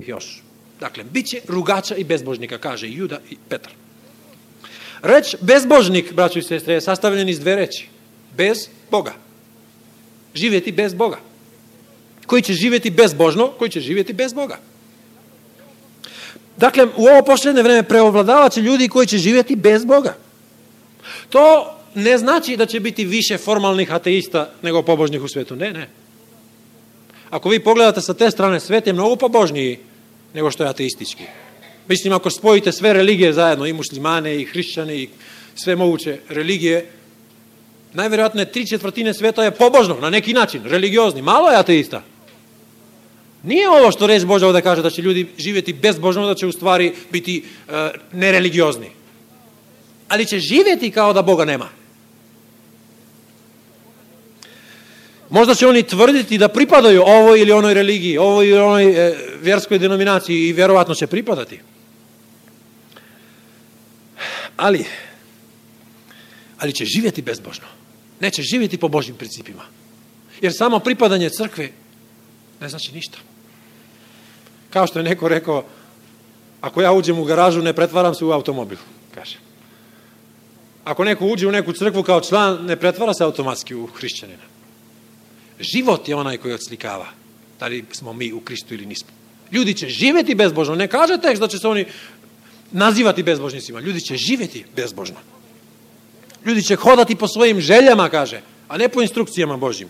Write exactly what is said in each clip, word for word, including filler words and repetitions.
još. Dakle, bit će rugača i bezbožnika, kaže Juda i Petar. Reč bezbožnik, braćo i sestre, je sastavljen iz dve reči. Bez Boga. Živjeti bez Boga. Koji će živjeti bezbožno, koji će živjeti bez Boga. Dakle, u ovo posljednje vreme preovladavat će ljudi koji će živjeti bez Boga. To ne znači da će biti više formalnih ateista nego pobožnih u svijetu. Ne, ne. Ako vi pogledate sa te strane, svijet je mnogo pobožniji nego što je ateistički. Mislim, ako spojite sve religije zajedno, i muslimane, i hrišćane, i sve moguće religije, najvjerojatnije tri četvrtine svijeta je pobožno, na neki način, religiozni. Malo je ateista. Nije ovo što reč Božja ovdje kaže da će ljudi živjeti bezbožno, da će u stvari biti uh, nereligiozni. Ali će živjeti kao da Boga nema. Možda će oni tvrditi da pripadaju ovoj ili onoj religiji, ovoj ili onoj e, vjerskoj denominaciji i vjerovatno će pripadati. Ali, ali će živjeti bezbožno. Neće živjeti po Božjim principima. Jer samo pripadanje crkve ne znači ništa. Kao što je neko rekao, ako ja uđem u garažu, ne pretvaram se u automobil, kaže. Ako neko uđe u neku crkvu kao član, ne pretvara se automatski u hrišćanina. Život je onaj koji odslikava da li smo mi u Kristu ili nismo. Ljudi će živjeti bezbožno. Ne kaže tekst da će se oni nazivati bezbožnicima. Ljudi će živjeti bezbožno. Ljudi će hodati po svojim željama, kaže, a ne po instrukcijama Božjim.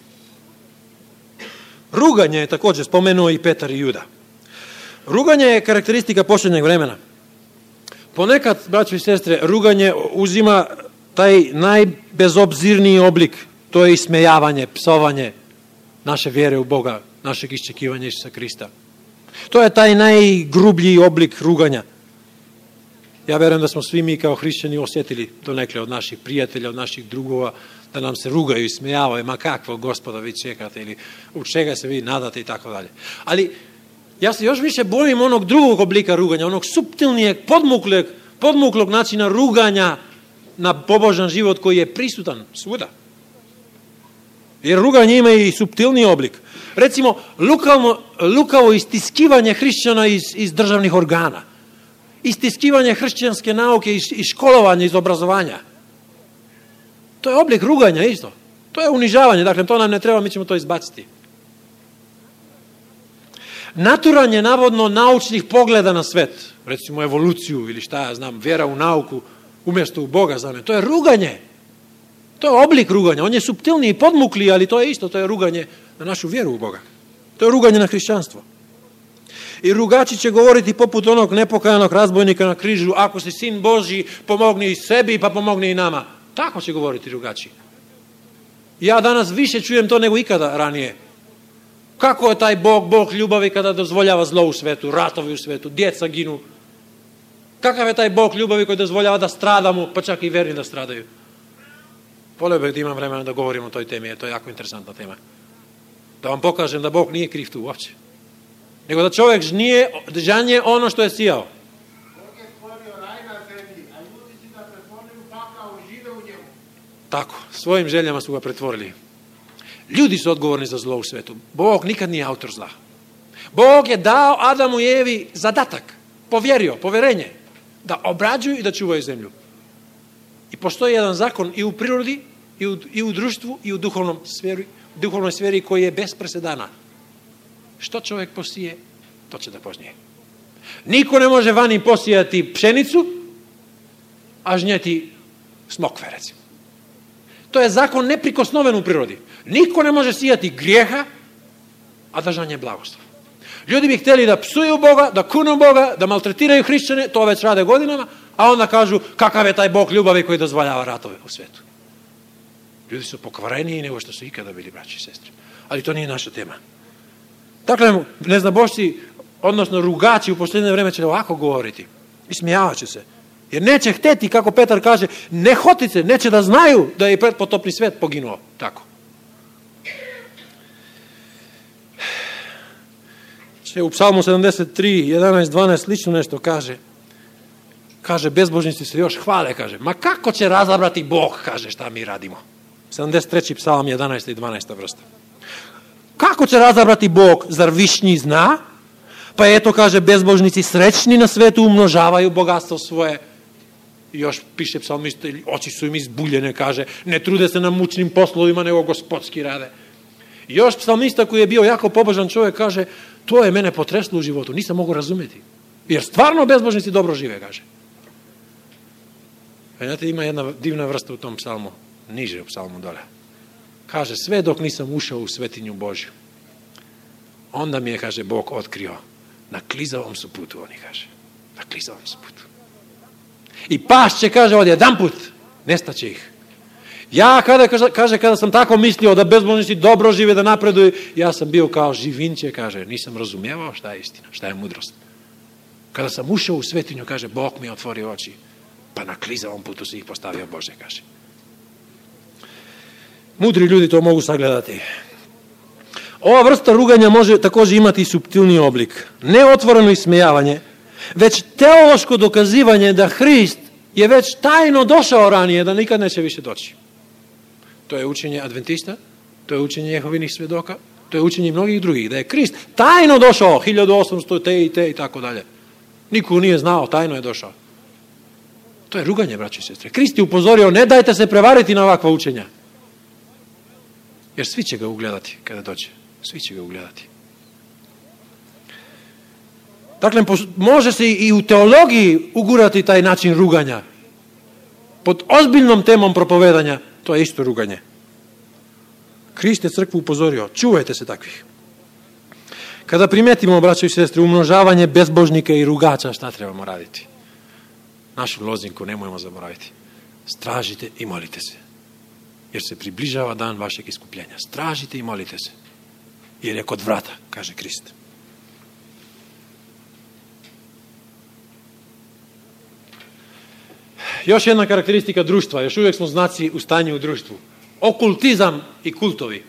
Ruganje je također spomenuo i Petar i Juda. Ruganje je karakteristika posljednjeg vremena. Ponekad, braćo i sestre, ruganje uzima taj najbezobzirniji oblik. To je ismejavanje, psovanje naše vjere u Boga, našeg iščekivanja Isusa Krista. To je taj najgrublji oblik ruganja. Ja vjerujem da smo svi mi kao hrišćani osjetili donekle od naših prijatelja, od naših drugova, da nam se rugaju i smejavaju, ma kakvo Gospoda vi čekate ili u čega se vi nadate i tako dalje. Ali ja se još više bojim onog drugog oblika ruganja, onog suptilnijeg, podmuklog, podmuklog načina ruganja na pobožan život koji je prisutan svuda. Jer ruganje ima i suptilniji oblik. Recimo, lukavno, lukavo istiskivanje hrišćana iz, iz državnih organa. Istiskivanje hrišćanske nauke iz, iz školovanja, iz obrazovanja. To je oblik ruganja isto. To je unižavanje, dakle to nam ne treba, mi ćemo to izbaciti. Naturanje navodno naučnih pogleda na svet, recimo evoluciju ili šta ja znam, vjera u nauku umjesto u Boga za me, to je ruganje. To je oblik ruganja, on je suptilniji, podmukli, ali to je isto, to je ruganje na našu vjeru u Boga. To je ruganje na hrišćanstvo. I rugači će govoriti poput onog nepokajanog razbojnika na križu, ako si sin Božji, pomogni i sebi, pa pomogni i nama. Tako će govoriti rugači. Ja danas više čujem to nego ikada ranije. Kako je taj Bog, Bog ljubavi kada dozvoljava zlo u svetu, ratovi u svetu, djeca ginu. Kakav je taj Bog ljubavi koji dozvoljava da stradamo, pa čak i verni da stradaju. Volio bih da imam vremena da govorim o toj temi, jer to je jako interesantna tema. Da vam pokažem da Bog nije kriv tu uopće. Nego da čovjek žnije, žanje ono što je sijao. Bog je stvorio raj na zemlji, a ljudi si ga pretvorili u pakao, žive u njemu. Tako, svojim željama su ga pretvorili. Ljudi su odgovorni za zlo u svetu. Bog nikad nije autor zla. Bog je dao Adamu i Evi zadatak, povjerio, povjerenje, da obrađuju i da čuvaju zemlju. I postoji jedan zakon i u prirodi, i u, i u društvu, i u duhovnom sferi, duhovnoj sferi koji je bez presedana. Što čovjek posije, to će da požnije. Niko ne može vani posijati pšenicu, a žnjeti smokve, recimo. To je zakon neprikosnoven u prirodi. Niko ne može sijati grijeha, a da žanje blagoslov. Ljudi bi htjeli da psuju Boga, da kunu Boga, da maltretiraju hrišćane, to već rade godinama, a onda kažu kakav je taj Bog ljubavi koji dozvoljava ratove u svijetu. Ljudi su pokvareniji nego što su ikada bili, braći i sestre. Ali to nije naša tema. Dakle, neznabošci, odnosno rugači u posljednje vrijeme će ovako govoriti. I smijavat će se. Jer neće hteti, kako Petar kaže, nehotice, neće da znaju da je pretpotopni svijet poginuo. Tako. Če u Psalmu sedamdeset tri, jedanaest, dvanaest, slično nešto kaže. Kaže, bezbožnici se još hvale, kaže. Ma kako će razabrati Bog, kaže, šta mi radimo. sedamdeset treći psalam, jedanaesta i dvanaesta vrsta. Kako će razabrati Bog, zar višnji zna? Pa ето, каже, безбожници сречни на свету умножавају богатство свое. И još piše psalmista, oči su im izbuljene, kaže, ne trude se na mučnim poslovima, nego gospodski rade. I još psalmista koji je bio jako pobožan čovjek, kaže, to je mene potreslo u životu, nisam mogu razumjeti. Jer stvarno bezbožnici dobro žive, kaže. E, znate, ima jedna divna vrsta u tom psalmu, niže u psalmu dole. Kaže, sve dok nisam ušao u svetinju Božju, onda mi je, kaže, Bog otkrio, na klizavom su putu, oni kaže, na klizavom su putu. I pašće, kaže, od jedan put, nestaće ih. Ja, kada, kaže, kada sam tako mislio da bezbožnici dobro žive, da napreduju, ja sam bio kao živinče, kaže, nisam razumijevao šta je istina, šta je mudrost. Kada sam ušao u svetinju, kaže, Bog mi je otvorio oči, pa na klizavom putu se ih postavio Bože, kaže. Mudri ljudi to mogu sagledati. Ova vrsta ruganja može također imati i suptilniji oblik. Ne otvoreno ismejavanje, već teološko dokazivanje da Hrist je već tajno došao ranije, da nikad neće više doći. To je učenje adventista, to je učenje Jehovinih svedoka, to je učenje mnogih drugih, da je Hrist tajno došao, hiljadu osamsto te i te i tako dalje. Niko nije znao, tajno je došao. To je ruganje, braći i sestre. Hrist je upozorio, ne dajte se prevariti na ovakva učenja. Jer svi će ga ugledati kada dođe. Svi će ga ugledati. Dakle, može se i u teologiji ugurati taj način ruganja. Pod ozbiljnom temom propovedanja, to je isto ruganje. Hrist je crkvu upozorio, čuvajte se takvih. Kada primetimo, braćo i sestre, umnožavanje bezbožnika i rugača, šta trebamo raditi? Našu lozinku nemojmo zaboraviti. Stražite i molite se. Jer se približava dan vašeg iskupljenja. Stražite i molite se. Jer je kod vrata, kaže Hrist. Još jedna karakteristika društva, još uvijek smo znaci u stanju u društvu. Okultizam i kultovi.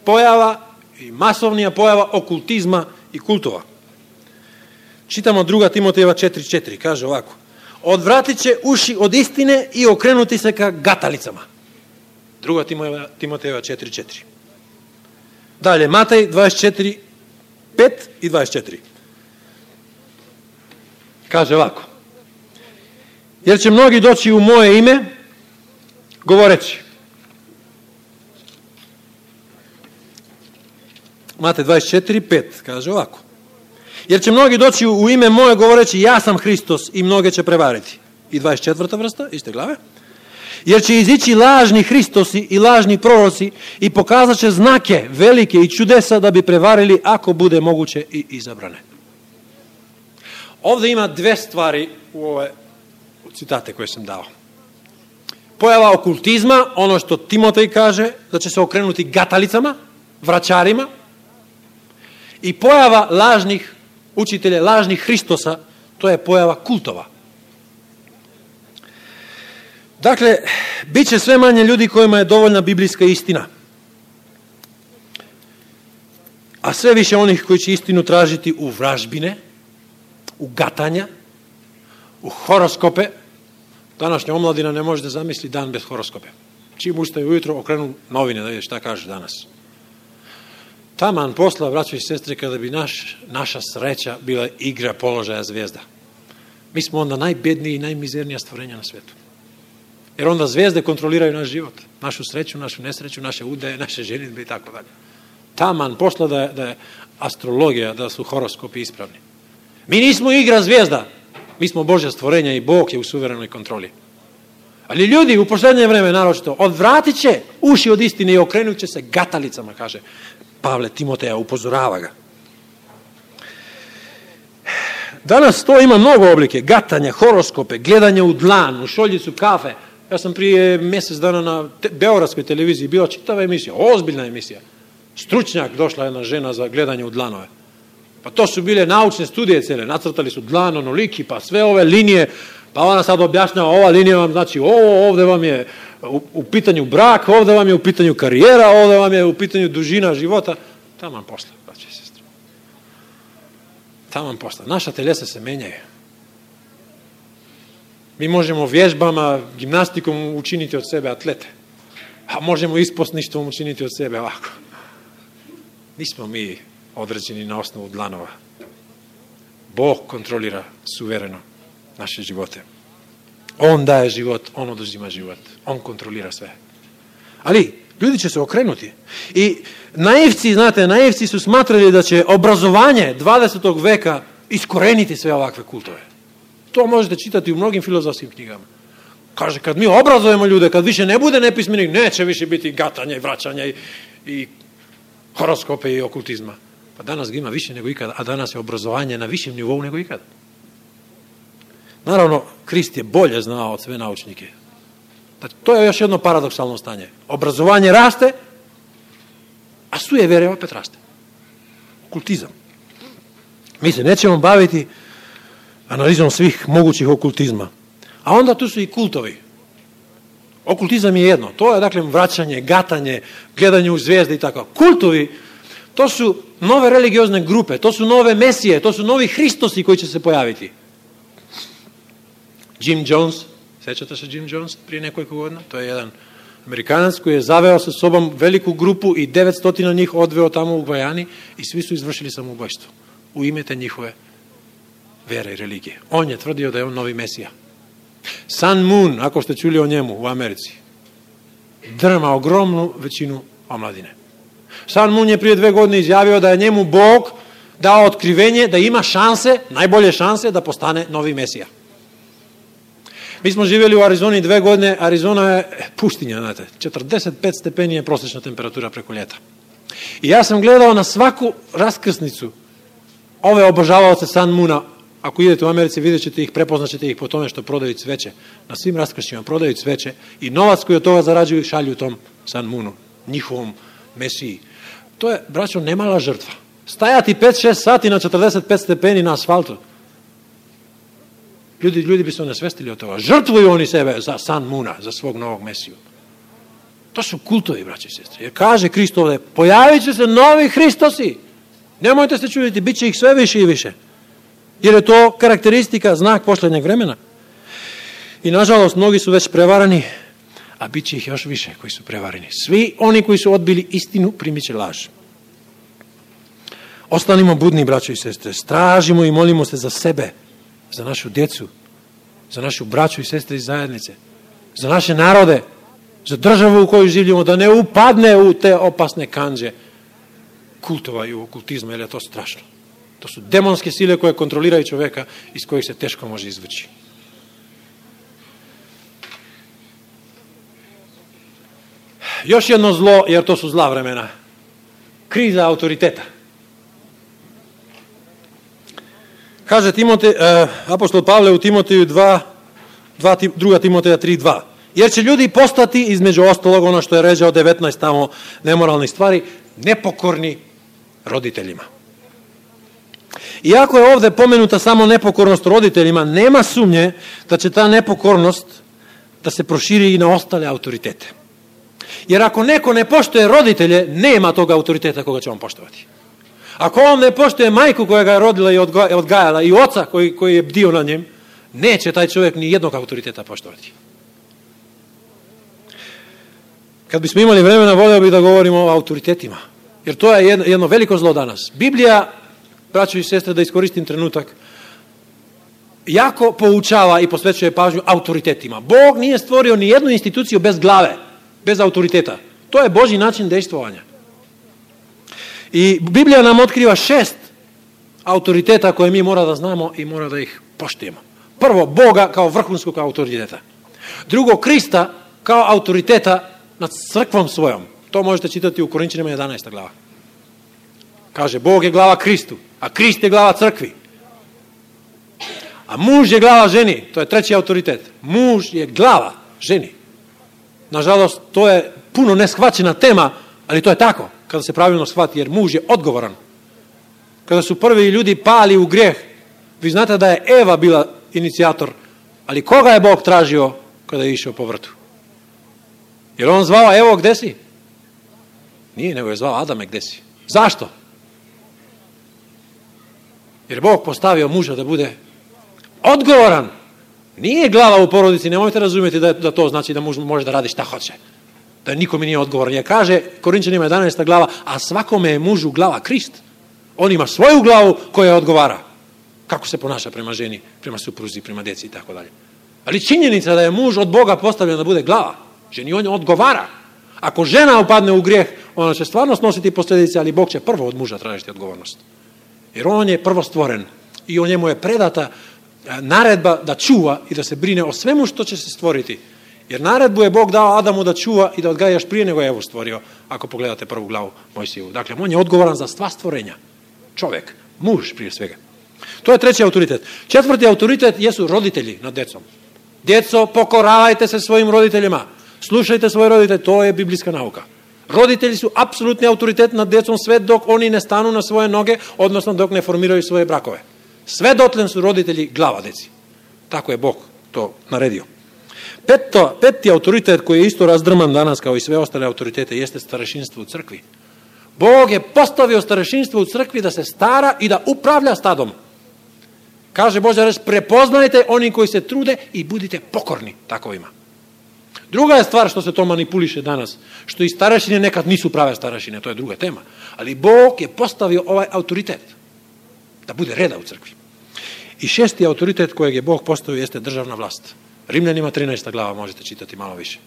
Pojava i masovnija pojava okultizma i kultova. Čitamo druga Timotejeva četiri četiri, kaže ovako. Odvratit će uši od istine i okrenuti se ka gatalicama. druga Timotejeva četiri četiri. Dalje, Matej dvadeset četiri pet i dvadeset četiri. Kaže ovako. Jer će mnogi doći u moje ime, govoreći. Matej dvadeset četiri pet, kaže ovako. Jer će mnogi doći u ime moje govoreći, ja sam Hristos, i mnoge će prevariti. I dvadeset četvrta vrsta, iste glave. Jer će izići lažni Hristosi i lažni proroci i pokazat će znake velike i čudesa da bi prevarili, ako bude moguće, i izabrane. Ovdje ima dve stvari u ove citate koje sam dao. Pojava okultizma, ono što Timotej kaže, da će se okrenuti gatalicama, vraćarima, i pojava lažnih učitelja, lažnih Hristosa, to je pojava kultova. Dakle, bit će sve manje ljudi kojima je dovoljna biblijska istina. A sve više onih koji će istinu tražiti u vražbine, u gatanja, u horoskope. Današnja omladina ne može da zamisli dan bez horoskope. Čim ustaje ujutro, okrenu novine da vidi šta kaže danas. Taman posla, braćo i sestre, kada bi naš, naša sreća bila igra položaja zvijezda. Mi smo onda najbedniji i najmizernija stvorenja na svijetu. Jer onda zvijezde kontroliraju naš život, našu sreću, našu nesreću, naše udaje, naše ženidbe i tako dalje. Taman posla da je, da je astrologija, da su horoskopi ispravni. Mi nismo igra zvijezda, mi smo Božja stvorenja i Bog je u suverenoj kontroli. Ali ljudi u posljednje vreme naročito odvratit će uši od istine i okrenut će se gatalicama, kaže Pavle Timoteja, upozorava ga. Danas to ima mnogo oblike, gatanja, horoskope, gledanje u dlan, u šoljicu kafe. Ja sam prije mjesec dana na te, beogradskoj televiziji bila čitava emisija, ozbiljna emisija. Stručnjak, došla jedna žena za gledanje u dlanove. Pa to su bile naučne studije cijele, nacrtali su dlan onoliki, pa sve ove linije, pa ona sad objašnjava, ova linija vam znači ovo, ovdje vam je u, u pitanju brak, ovdje vam je u pitanju karijera, ovdje vam je u pitanju dužina života. Taman posla, braće i sestre. Taman posla. Naša telesa se menjaju. Mi možemo vježbama, gimnastikom učiniti od sebe atlete, a možemo isposništvom učiniti od sebe ovako. Nismo mi određeni na osnovu dlanova. Bog kontrolira suvereno naše živote. On daje život, on oduzima život. On kontrolira sve. Ali ljudi će se okrenuti. I naivci, znate, naivci su smatrali da će obrazovanje dvadesetog veka iskoreniti sve ovakve kultove. To možete čitati u mnogim filozofskim knjigama. Kaže, kad mi obrazujemo ljude, kad više ne bude nepismenih, neće više biti gatanja i vraćanja i, i horoskope i okultizma. Pa danas ga ima više nego ikada, a danas je obrazovanje na višem nivou nego ikada. Naravno, Krist je bolje znao od sve naučnike. To je još jedno paradoksalno stanje. Obrazovanje raste, a sujevjerje opet raste. Okultizam. Mi se nećemo baviti analizom svih mogućih okultizma. A onda tu su i kultovi. Okultizam je jedno. To je, dakle, vraćanje, gatanje, gledanje u zvijezde i tako. Kultovi, to su nove religiozne grupe, to su nove mesije, to su novi Hristosi koji će se pojaviti. Jim Jones, sećate se Jim Jones prije nekoliko godina? To je jedan Amerikanac koji je zaveo sa sobom veliku grupu i devetsto njih odveo tamo u Gvajani i svi su izvršili samoubojstvo u ime te njihove vere i religije. On je tvrdio da je on novi mesija. Sun Moon, ako ste čuli o njemu u Americi, drma ogromnu većinu omladine. Sun Moon je prije dve godine izjavio da je njemu Bog dao otkrivenje da ima šanse, najbolje šanse da postane novi mesija. Mi smo živjeli u Arizoni dve godine, Arizona je pustinja, znate, četrdeset pet stepeni je prosječna temperatura preko ljeta. I ja sam gledao na svaku raskrsnicu ove obožavaoce Sun Moona. Ako idete u Americi, vidjet ćete ih, prepoznaćete ih po tome što prodaju cveće. Na svim raskršćima prodaju cveće i novac koji od toga zarađuju šalju tom Sun Moonu, njihovom mesiji. To je, braćo, nemala žrtva. Stajati pet šest sati na četrdeset pet stepeni na asfaltu. Ljudi, ljudi bi se onesvestili od toga. Žrtvuju oni sebe za Sun Moona, za svog novog mesiju. To su kultovi, braće i sestre. Jer kaže Krist ovdje, pojavit će se novi Hristosi. Nemojte se čuditi, bit će ih sve više i više. Jer je to karakteristika, znak posljednjeg vremena. I nažalost, mnogi su već prevarani, a bit će ih još više koji su prevareni. Svi oni koji su odbili istinu, primit će laž. Ostanimo budni, braćo i sestre. Stražimo i molimo se za sebe, za našu djecu, za našu braću i sestre iz zajednice, za naše narode, za državu u kojoj živimo, da ne upadne u te opasne kandže kultova i okultizma, jer je to strašno. To su demonske sile koje kontroliraju čovjeka, iz kojih se teško može izvući. Još jedno zlo, jer to su zla vremena. Kriza autoriteta. Kaže Timote, eh, apostol Pavle u Timoteju dva, druga Timoteja tri dva. Jer će ljudi postati, između ostalog, ono što je ređao devetnaest tamo nemoralnih stvari, nepokorni roditeljima. Iako je ovdje pomenuta samo nepokornost roditeljima, nema sumnje da će ta nepokornost da se proširi i na ostale autoritete. Jer ako neko ne poštuje roditelje, nema tog autoriteta koga će on poštovati. Ako on ne poštuje majku koja ga je rodila i odgajala i oca koji, koji je bdio na njem, neće taj čovjek ni jednog autoriteta poštovati. Kad bismo imali vremena, volio bih da govorimo o autoritetima. Jer to je jedno, jedno veliko zlo danas. Biblija, braćo i sestre, da iskoristim trenutak, jako poučava i posvećuje pažnju autoritetima. Bog nije stvorio ni jednu instituciju bez glave, bez autoriteta. To je Božji način dejstvovanja. I Biblija nam otkriva šest autoriteta koje mi mora da znamo i mora da ih poštujemo. Prvo, Boga kao vrhunskog autoriteta. Drugo, Krista kao autoriteta nad crkvom svojom. To možete čitati u Korinćanima jedanaesta glava. Kaže, Bog je glava Kristu, a Krist je glava crkvi. A muž je glava ženi, to je treći autoritet. Muž je glava ženi. Nažalost, to je puno neshvaćena tema, ali to je tako, kada se pravilno shvati, jer muž je odgovoran. Kada su prvi ljudi pali u grijeh, vi znate da je Eva bila inicijator, ali koga je Bog tražio kada je išao po vrtu? Jer on zvao, evo, gde si? Nije, nego je zvao Adame, gde si? Zašto? Jer Bog postavio muža da bude odgovoran. Nije glava u porodici, nemojte razumjeti da, da to znači da muž može da radi šta hoće. Da nikome nije odgovoran. Jer kaže Korinćanima jedanaesta glava, a svakome je mužu glava Krist. On ima svoju glavu koja odgovara. kako se ponaša prema ženi, prema supruzi, prema djeci i tako dalje. Ali činjenica da je muž od Boga postavljen da bude glava, ženi on odgovara. Ako žena upadne u grijeh, ona će stvarno snositi posljedice, ali Bog će prvo od muža tražiti odgovornost. Jer on je prvo stvoren i o njemu je predata naredba da čuva i da se brine o svemu što će se stvoriti. Jer naredbu je Bog dao Adamu da čuva i da odgaja još prije nego je Evu stvorio, ako pogledate prvu glavu Mojsijevu. Dakle, on je odgovoran za sva stvorenja. Čovjek, muž prije svega. To je treći autoritet. Četvrti autoritet jesu roditelji nad djecom. Djeco, pokoravajte se svojim roditeljima. Slušajte svoje roditelje, to je biblijska nauka. Roditelji su apsolutni autoritet nad djecom sve dok oni ne stanu na svoje noge, odnosno dok ne formiraju svoje brakove. Sve dotle su roditelji glava djeci. Tako je Bog to naredio. Peto, peti autoritet koji je isto razdrman danas kao i sve ostale autoritete jeste starešinstvo u crkvi. Bog je postavio starešinstvo u crkvi da se stara i da upravlja stadom. Kaže Božja reč, prepoznajte oni koji se trude i budite pokorni takovima. Druga je stvar što se to manipuliše danas, što i starešine nekad nisu prave starešine, to je druga tema. Ali Bog je postavio ovaj autoritet da bude reda u crkvi. I šesti autoritet kojeg je Bog postavio jeste državna vlast. Rimljanima trinaesta glava možete čitati malo više.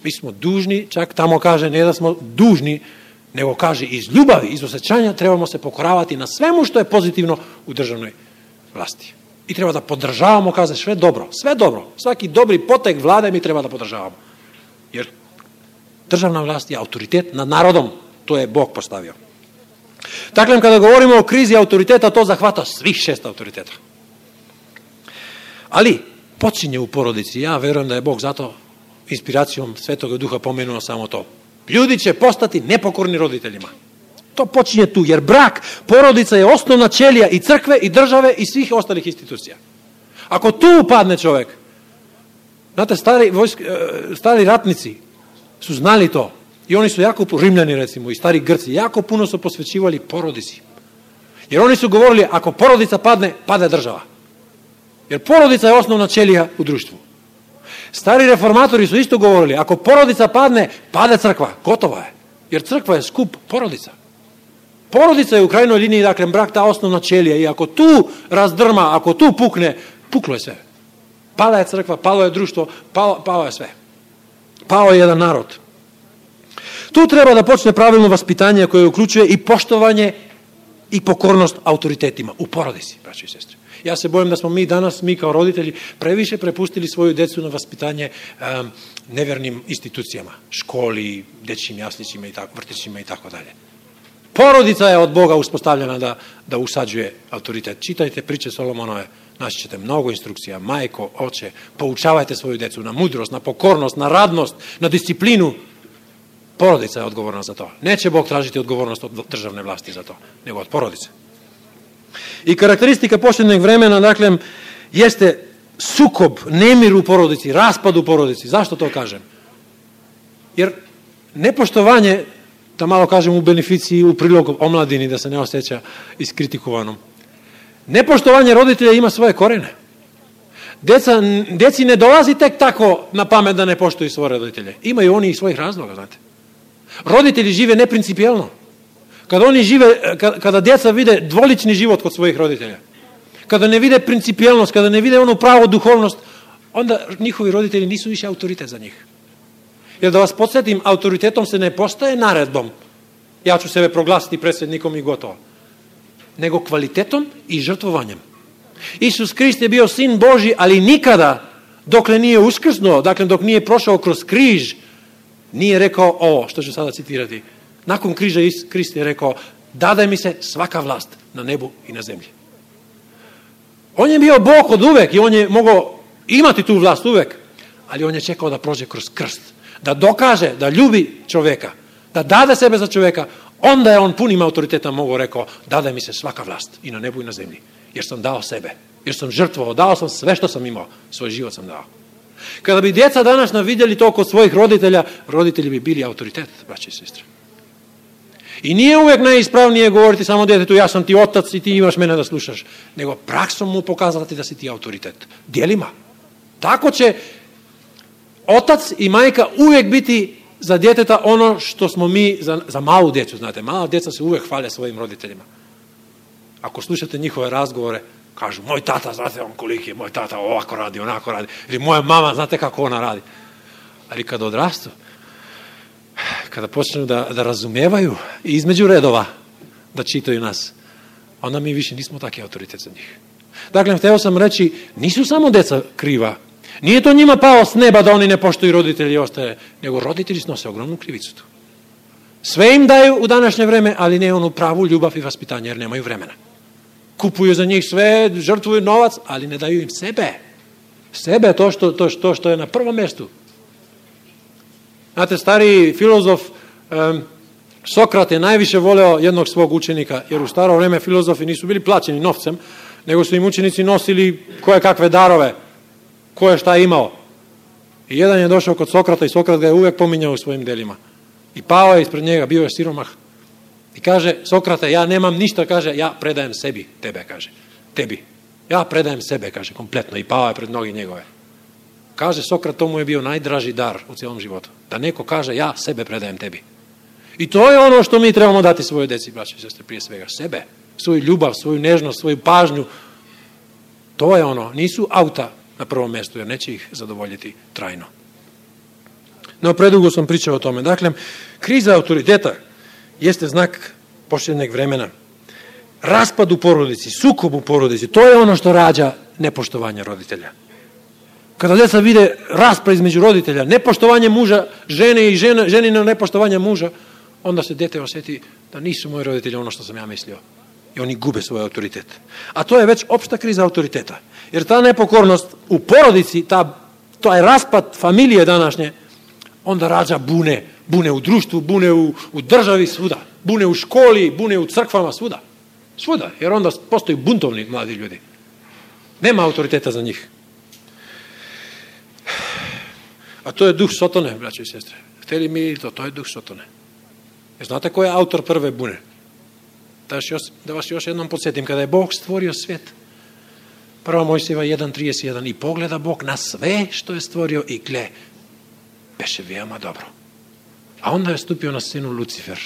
Mi smo dužni, čak tamo kaže ne da smo dužni, nego kaže iz ljubavi, iz osjećanja trebamo se pokoravati na svemu što je pozitivno u državnoj vlasti. I treba da podržavamo, kaže sve dobro, sve dobro. Svaki dobri potek vlade mi treba da podržavamo. Jer državna vlast je autoritet nad narodom, to je Bog postavio. Dakle, kada govorimo o krizi autoriteta, to zahvata svih šest autoriteta. Ali počinje u porodici. Ja verujem da je Bog zato inspiracijom Svetog Duha pomenuo samo to. Ljudi će postati nepokorni roditeljima. To počinje tu, jer brak, porodica je osnovna ćelija i crkve, i države, i svih ostalih institucija. Ako tu upadne čovjek, znate, stari, vojsk, stari ratnici su znali to. I oni su jako, Rimljani recimo, i stari Grci, jako puno su posvećivali porodici. Jer oni su govorili, ako porodica padne, pada država. Jer porodica je osnovna ćelija u društvu. Stari reformatori su isto govorili, ako porodica padne, pada crkva, gotova je. Jer crkva je skup porodica. Porodica je u krajnjoj liniji, dakle, brak ta osnovna ćelija i ako tu razdrma, ako tu pukne, puklo je sve. Pala je crkva, palo je društvo, palo, palo je sve. Pao je jedan narod. Tu treba da počne pravilno vaspitanje koje uključuje i poštovanje i pokornost autoritetima u porodici, braćo i sestre. Ja se bojim da smo mi danas, mi kao roditelji, previše prepustili svoju decu na vaspitanje um, nevjernim institucijama, školi, dečjim jaslićima i tako, vrtićima i tako dalje. Porodica je od Boga uspostavljena da, da usađuje autoritet. Čitajte priče Solomonove, naći ćete mnogo instrukcija. Majko, oče, poučavajte svoju decu na mudrost, na pokornost, na radnost, na disciplinu. Porodica je odgovorna za to. Neće Bog tražiti odgovornost od državne vlasti za to, nego od porodice. I karakteristika posljednjeg vremena, dakle, jeste sukob, nemir u porodici, raspad u porodici. Zašto to kažem? Jer nepoštovanje, da malo kažem u beneficiji, u prilog omladini, da se ne osjeća iskritikovanom. Nepoštovanje roditelja ima svoje korene. Deca, deci ne dolazi tek tako na pamet da ne poštuju svoje roditelje. Imaju oni i svojih razloga, znate. Roditelji žive neprincipijelno. Kada oni žive, kada djeca vide dvolični život kod svojih roditelja, kada ne vide principijelnost, kada ne vide onu pravu duhovnost, onda njihovi roditelji nisu više autoritet za njih. Jer da vas podsjetim, autoritetom se ne postaje naredbom. Ja ću sebe proglasiti predsjednikom i gotovo. Nego kvalitetom i žrtvovanjem. Isus Krist je bio sin Božji, ali nikada, dokle nije uskrsnuo, dakle dok nije prošao kroz križ, nije rekao ovo, što ću sada citirati. Nakon križa Krist je rekao, dadaj mi se svaka vlast na nebu i na zemlji. On je bio Bog od uvek i on je mogao imati tu vlast uvek, ali on je čekao da prođe kroz krst, da dokaže, da ljubi čovjeka, da dade sebe za čovjeka, onda je on punim autoritetom mogao rekao, dadaj mi se svaka vlast i na nebu i na zemlji, jer sam dao sebe, jer sam žrtvovao, dao sam sve što sam imao, svoj život sam dao. Kada bi djeca danas vidjeli to kod svojih roditelja, roditelji bi bili autoritet, braće i sestre. I nije uvijek najispravnije govoriti samo djetetu, ja sam ti otac i ti imaš mene da slušaš, nego praksom mu pokazati da si ti autoritet. Djelima. Tako će otac i majka uvijek biti za djeteta ono što smo mi za, za malu djecu, znate. Mala djeca se uvijek hvale svojim roditeljima. Ako slušate njihove razgovore, Kažu, moj tata, znate on koliki je, moj tata ovako radi, onako radi. Ili moja mama, znate kako ona radi. Ali kada odrastu, kada počnu da, da razumevaju i između redova da čitaju nas, onda mi više nismo taki autoritet za njih. Dakle, hteo sam reći, nisu samo deca kriva. Nije to njima pao s neba da oni ne poštuju roditelji i ostaje, nego roditelji snose ogromnu krivicu tu. Sve im daju u današnje vreme, ali ne onu pravu ljubav i vaspitanje, jer nemaju vremena. Kupuju za njih sve, žrtvuju novac, ali ne daju im sebe. Sebe, to što, to što, što je na prvom mjestu. Znate, stari filozof um, Sokrat je najviše voleo jednog svog učenika, jer u staro vreme filozofi nisu bili plaćeni novcem, nego su im učenici nosili koje kakve darove, ko je šta imao. I jedan je došao kod Sokrata i Sokrat ga je uvek pominjao u svojim delima. I pao je ispred njega, bio je siromah. I kaže, Sokrate, ja nemam ništa, kaže, ja predajem sebi, tebe, kaže, tebi. Ja predajem sebe, kaže, kompletno. I pao je pred noge njegove. Kaže Sokrat, to mu je bio najdraži dar u cijelom životu. Da neko kaže, ja sebe predajem tebi. I to je ono što mi trebamo dati svojoj deci, braće i sestre, prije svega. Sebe, svoju ljubav, svoju nežnost, svoju pažnju. To je ono, nisu auta na prvom mjestu, jer neće ih zadovoljiti trajno. No, predugo sam pričao o tome. Dakle, kriza autoriteta jeste znak posljednjeg vremena. Raspad u porodici, sukob u porodici, to je ono što rađa nepoštovanje roditelja. Kada djeca vide raspad između roditelja, nepoštovanje muža, žene i žena, ženino nepoštovanje muža, onda se dete osjeti da nisu moji roditelji ono što sam ja mislio. I oni gube svoj autoritet. A to je već opšta kriza autoriteta. Jer ta nepokornost u porodici, ta, to je raspad familije današnje, onda rađa bune. Bune u društvu, bune u, u državi, svuda. Bune u školi, bune u crkvama, svuda. Svuda, jer onda postaju buntovni mladi ljudi. Nema autoriteta za njih. A to je duh Sotone, braće i sestre. Hteli mi to, to je duh Sotone. Jer znate ko je autor prve bune? Da, još, da vas još jednom podsjetim, kada je Bog stvorio svijet, Prva Mojsijeva jedan trideset jedan, i pogleda Bog na sve što je stvorio i gle, beše veoma dobro. A onda je stupio na scenu Lucifer,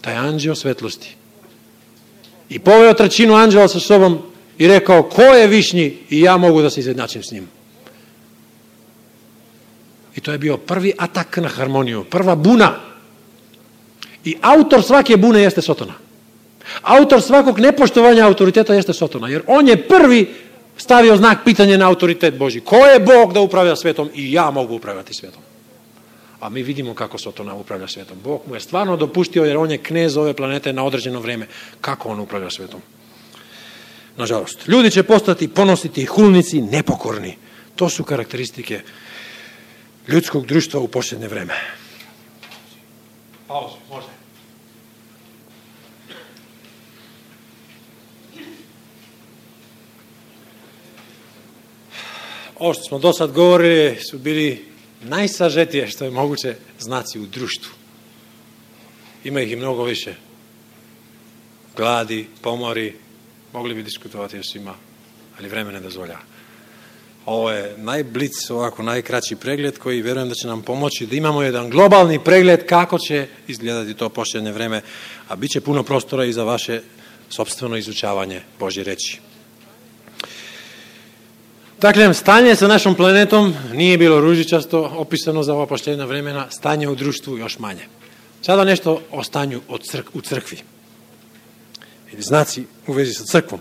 taj anđeo svetlosti. I poveo trećinu anđela sa sobom i rekao, ko je višnji i ja mogu da se izjednačim s njim. I to je bio prvi atak na harmoniju, prva buna. I autor svake bune jeste Sotona. Autor svakog nepoštovanja autoriteta jeste Sotona, jer on je prvi stavio znak pitanja na autoritet Božji. Ko je Bog da upravlja svetom i ja mogu upravljati svetom? A mi vidimo kako Sotona upravlja svetom. Bog mu je stvarno dopustio, jer on je knez ove planete na određeno vrijeme. Kako on upravlja svetom? Nažalost, ljudi će postati ponositi, hulnici, nepokorni. To su karakteristike ljudskog društva u posljednje vreme. Pauzu, može. Ovo što smo do sad govorili su bili najsažetije što je moguće znaci u društvu. Ima ih i mnogo više. Gladi, pomori, mogli bi diskutovati o svima, ali vreme ne dozvoljava. Ovo je najblic, ovako najkraći pregled koji vjerujem da će nam pomoći da imamo jedan globalni pregled kako će izgledati to posljednje vreme, a bit će puno prostora i za vaše sopstveno izučavanje Božje reči. Dakle, stanje sa našom planetom nije bilo ružičasto opisano za ova posljednja vremena, stanje u društvu još manje. Sada nešto o stanju od crk- u crkvi. Ili znaci u vezi sa crkvom.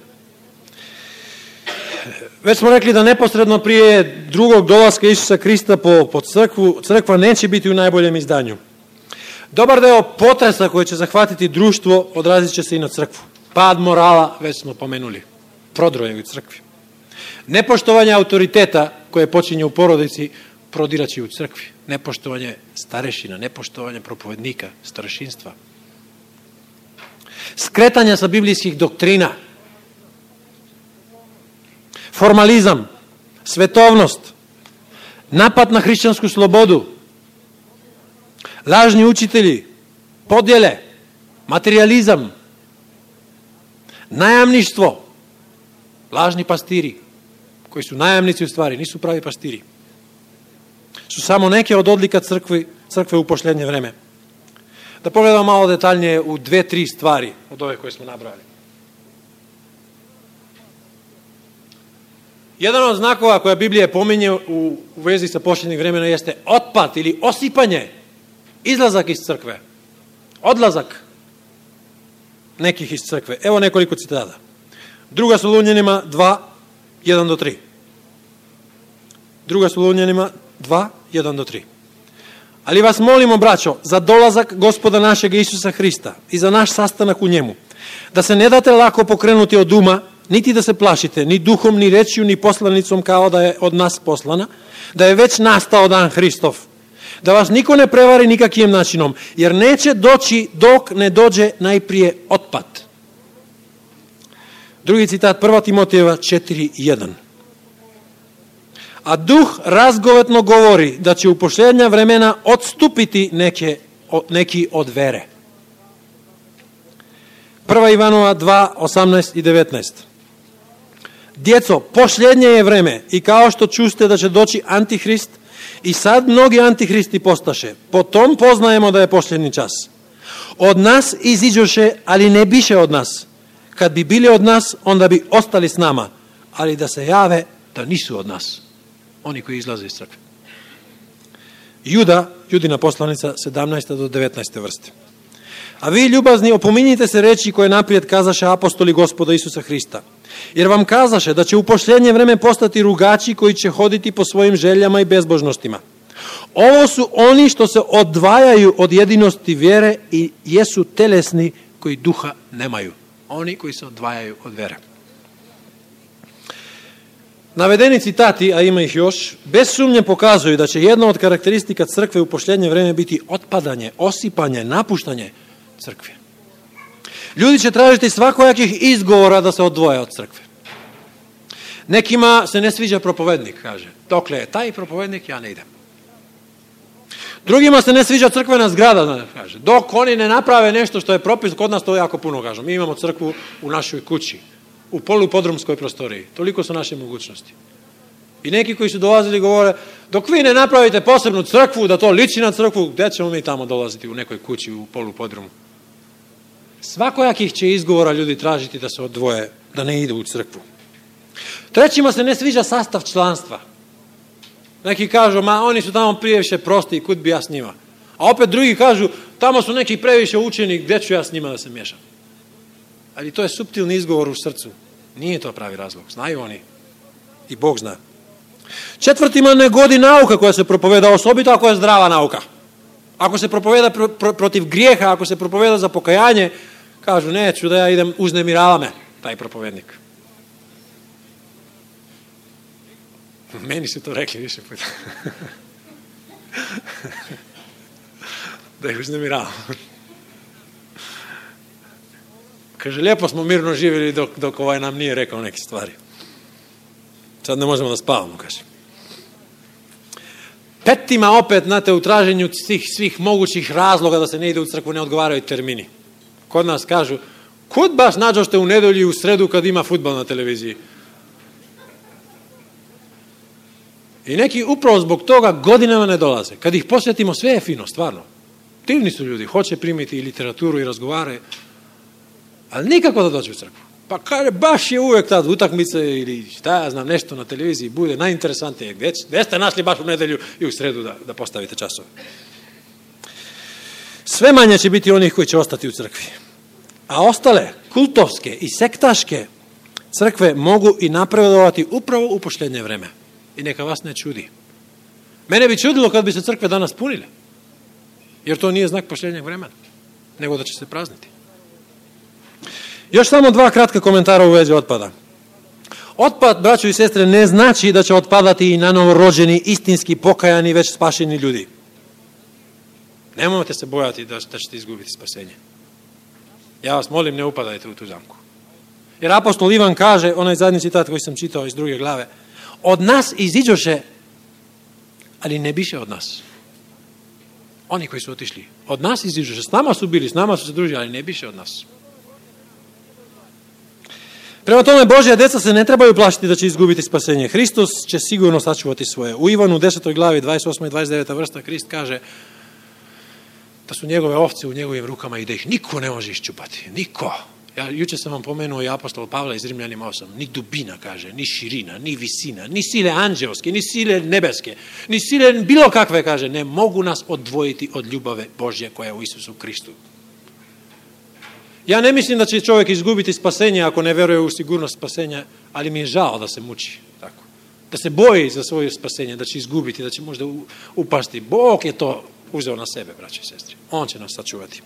Već smo rekli da neposredno prije drugog dolaska Isusa Krista po, po crkvu, crkva neće biti u najboljem izdanju. Dobar deo potresa koji će zahvatiti društvo odrazit će se i na crkvu. Pad morala, već smo pomenuli, prodroje u crkvi. Nepoštovanje autoriteta koje počinje u porodici prodiraće u crkvi. Nepoštovanje starešina, nepoštovanje propovednika, starešinstva. Skretanja sa biblijskih doktrina. Formalizam, svetovnost, napad na hrišćansku slobodu, lažni učitelji, podjele, materializam, najamništvo, lažni pastiri, koji su najamnici u stvari, nisu pravi pastiri, su samo neke od odlika crkve, crkve u posljednje vreme. Da pogledamo malo detaljnije u dve, tri stvari od ove koje smo nabrali. Jedan od znakova koja Biblija pominje u, u vezi sa posljednjeg vremena jeste otpad ili osipanje, izlazak iz crkve, odlazak nekih iz crkve. Evo nekoliko citata. Druga Solunjanima dva, jedan do tri. Druga Solunjanima dva, jedan do tri. Ali vas molimo, braćo, za dolazak Gospoda našeg Isusa Hrista i za naš sastanak u njemu, da se ne date lako pokrenuti od uma, niti da se plašite, ni duhom, ni rečju, ni poslanicom kao da je od nas poslana, da je već nastao dan Hristov, da vas niko ne prevari nikakvim načinom, jer neće doći dok ne dođe najprije otpad. Drugi citat, prva Timotejeva četiri, jedan. A duh razgovetno govori da će u posljednja vremena odstupiti neke, neki od vere. Prva Ivanova dva, osamnaest i devetnaest. Djeco, posljednje je vreme i kao što čuste da će doći Antihrist, i sad mnogi antihristi postaše. Po tom poznajemo da je posljednji čas. Od nas iziđoše, ali ne biše od nas. Kad bi bili od nas, onda bi ostali s nama. Ali da se jave da nisu od nas. Oni koji izlaze iz crkve. Juda, Judina poslanica, sedamnaesta do devetnaeste vrste. A vi, ljubazni, opominjite se reči koje naprijed kazaše apostoli Gospoda Isusa Hrista. Jer vam kazaše da će u posljednje vreme postati rugači koji će hoditi po svojim željama i bezbožnostima. Ovo su oni što se odvajaju od jedinosti vjere i jesu telesni koji duha nemaju. Oni koji se odvajaju od vjere. Navedeni citati, a ima ih još, bez sumnje pokazuju da će jedna od karakteristika crkve u posljednje vreme biti otpadanje, osipanje, napuštanje crkve. Ljudi će tražiti svakojakih izgovora da se odvoje od crkve. Nekima se ne sviđa propovednik, kaže. Dokle je taj propovednik, ja ne idem. Drugima se ne sviđa crkvena zgrada, kaže. Dok oni ne naprave nešto što je propis, kod nas to jako puno kažu. Mi imamo crkvu u našoj kući, u polupodrumskoj prostoriji. Toliko su naše mogućnosti. I neki koji su dolazili govore, dok vi ne napravite posebnu crkvu, da to liči na crkvu, gdje ćemo mi tamo dolaziti u nekoj kući u polupodrumu? Svakojakih će izgovora ljudi tražiti da se odvoje, da ne idu u crkvu. Trećima se ne sviđa sastav članstva. Neki kažu, ma oni su tamo previše prosti, kud bi ja s njima. A opet drugi kažu, tamo su neki previše učeni, gdje ću ja s njima da se miješam. Ali to je suptilni izgovor u srcu. Nije to pravi razlog. Znaju oni. I Bog zna. Četvrtima ne godi nauka koja se propoveda, osobito ako je zdrava nauka. Ako se propoveda pro, pro, protiv grijeha, ako se propoveda za pokajanje, kažu, neću da ja idem, uznemirava me taj propovednik. Meni su to rekli više puta. Da ih uznemiravam. Kaže, lijepo smo mirno živjeli dok, dok ovaj nam nije rekao neke stvari. Sad ne možemo da spavamo, kaže. Petima opet, znate, u traženju svih, svih mogućih razloga da se ne ide u crkvu, ne odgovaraju termini. Kod nas kažu, kud baš nađošte u nedelju i u sredu kad ima fudbal na televiziji? I neki upravo zbog toga godinama ne dolaze. Kad ih posjetimo, sve je fino, stvarno. Divni su ljudi, hoće primiti i literaturu i razgovare, ali nikako da dođe u crkvu. Pa kaže, baš je uvijek tad utakmice ili šta ja znam, nešto na televiziji bude najinteresantnije. Gdje, gdje ste našli baš u nedelju i u sredu da, da postavite časove? Sve manje će biti onih koji će ostati u crkvi. A ostale, kultovske i sektaške crkve mogu i napredovati upravo u posljednje vreme. I neka vas ne čudi. Mene bi čudilo kad bi se crkve danas punile. Jer to nije znak posljednjeg vremena, nego da će se prazniti. Još samo dva kratka komentara u vezi otpada. Otpad, braćo i sestre, ne znači da će otpadati i na novorođeni, istinski pokajani, već spašeni ljudi. Nemojte se bojati da, da ćete izgubiti spasenje. Ja vas molim, ne upadajte u tu zamku. Jer apostol Ivan kaže, onaj zadnji citat koji sam čitao iz druge glave, od nas iziđoše, ali ne biše od nas. Oni koji su otišli, od nas iziđoše, s nama su bili, s nama su se družili, ali ne biše od nas. Prema tome, Božja djeca se ne trebaju plašiti da će izgubiti spasenje. Hristos će sigurno sačuvati svoje. U Ivanu desetoj glavi, dvadeset osma i dvadeset deveta vrsta, Krist kaže da su njegove ovce u njegovim rukama i da ih niko ne može iščupati. Niko. Ja juče sam vam pomenuo i apostol Pavla iz Rimljanima osam. Ni dubina, kaže, ni širina, ni visina, ni sile anđelske, ni sile nebeske, ni sile bilo kakve, kaže, ne mogu nas odvojiti od ljubave Božje koja je u Isusu Kristu. Ja ne mislim da će čovjek izgubiti spasenje ako ne veruje u sigurnost spasenja, ali mi je žao da se muči tako. Da se boji za svoje spasenje, da će izgubiti, da će možda upasti. Bog je to uzeo na sebe, braće i sestre. On će nas sačuvati.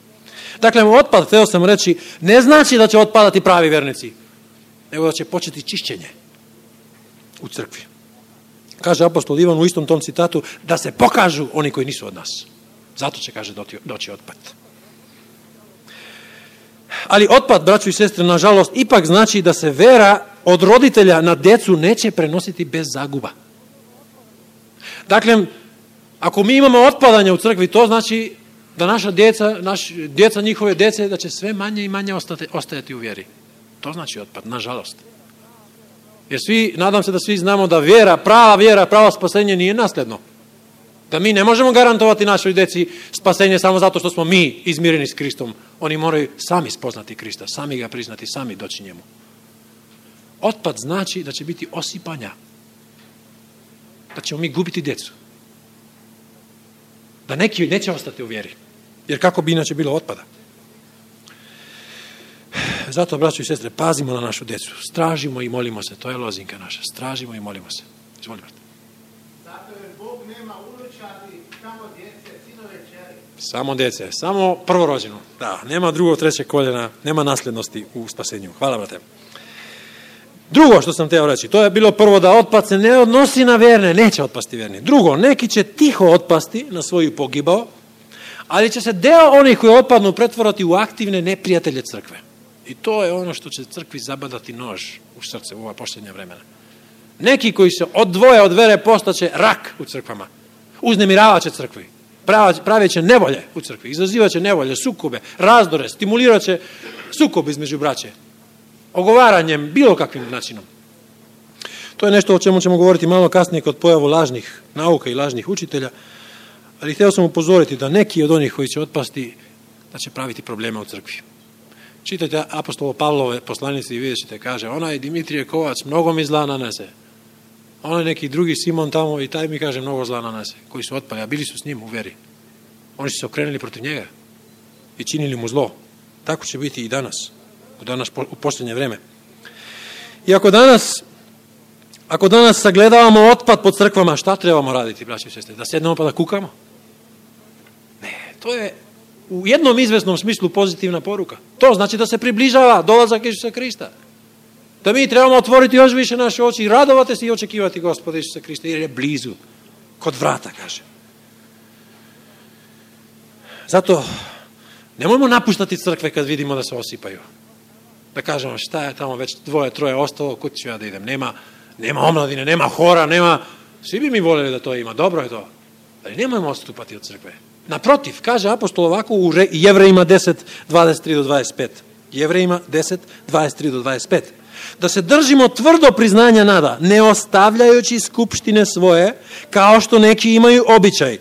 Dakle, otpad, htio sam reći, ne znači da će otpadati pravi vernici, nego da će početi čišćenje u crkvi. Kaže apostol Ivan u istom tom citatu, da se pokažu oni koji nisu od nas. Zato će, kaže, doći otpad. Ali otpad, braćo i sestre, nažalost, ipak znači da se vera od roditelja na djecu neće prenositi bez zaguba. Dakle, ako mi imamo otpadanje u crkvi, to znači da naša djeca, naš, djeca njihove djece, da će sve manje i manje ostati, ostajati u vjeri. To znači otpad, nažalost. Jer svi, nadam se da svi znamo da vjera, prava vjera, pravo spasenje nije nasljedno. Da mi ne možemo garantovati našoj djeci spasenje samo zato što smo mi izmireni s Kristom. Oni moraju sami spoznati Krista, sami ga priznati, sami doći njemu. Otpad znači da će biti osipanja. Da ćemo mi gubiti djecu. Da neki neće ostati u vjeri. Jer kako bi inače bilo otpada? Zato, braćo i sestre, pazimo na našu djecu. Stražimo i molimo se. To je lozinka naša. Stražimo i molimo se. Izvolite. Zato jer Bog nema unučadi, samo djece, sinove, čeri. Samo djece. Samo prvorođeno. Da, nema drugog, trećeg koljena. Nema nasljednosti u spasenju. Hvala, brate. Drugo što sam teo reći, to je bilo prvo da otpad se ne odnosi na vjerne, neće otpasti vjerni. Drugo, neki će tiho otpasti na svoju pogibao, ali će se deo onih koji otpadnu pretvorati u aktivne neprijatelje crkve. I to je ono što će crkvi zabadati nož u srce u ova posljednja vremena. Neki koji se odvoje od vere postaće rak u crkvama, uznemiravat će crkvi, pravit će nevolje u crkvi, izazivat će nevolje, sukobe, razdore, stimulirat će sukob između braće. Ogovaranjem, bilo kakvim načinom. To je nešto o čemu ćemo govoriti malo kasnije kod pojavu lažnih nauka i lažnih učitelja, ali htio sam upozoriti da neki od onih koji će otpasti, da će praviti probleme u crkvi. Čitajte apostolo Pavlove poslanice i vidjet ćete, kaže, onaj Dimitrije Kovac mnogo mi zla nanese. Onaj neki drugi Simon tamo i taj mi kaže mnogo zla nanese, koji su otpali, a bili su s njim u veri. Oni su se okrenuli protiv njega i činili mu zlo. Tako će biti i danas. Danas u posljednje vrijeme. I ako danas, ako danas sagledavamo otpad po crkvama, šta trebamo raditi, braći i sestre? Da sjednemo pa da kukamo? Ne, to je u jednom izvesnom smislu pozitivna poruka. To znači da se približava dolazak Isusa Krista. Da mi trebamo otvoriti još više naše oči i radovati se i očekivati Gospoda Isusa Krista, jer je blizu, kod vrata, kaže. Zato nemojmo napuštati crkve kad vidimo da se osipaju. Da kažemo šta je tamo već dvoje, troje ostalo, kud ću ja da idem. Nema, nema omladine, nema hora, nema... Svi bi mi voljeli da to ima, dobro je to. Ali nemojmo odstupati od crkve. Naprotiv, kaže apostol ovako u Jevrejima deset, dvadeset tri do dvadeset pet. Jevrejima deset, dvadeset tri do dvadeset pet. Da se držimo tvrdo priznanja nada, ne ostavljajući skupštine svoje, kao što neki imaju običaj,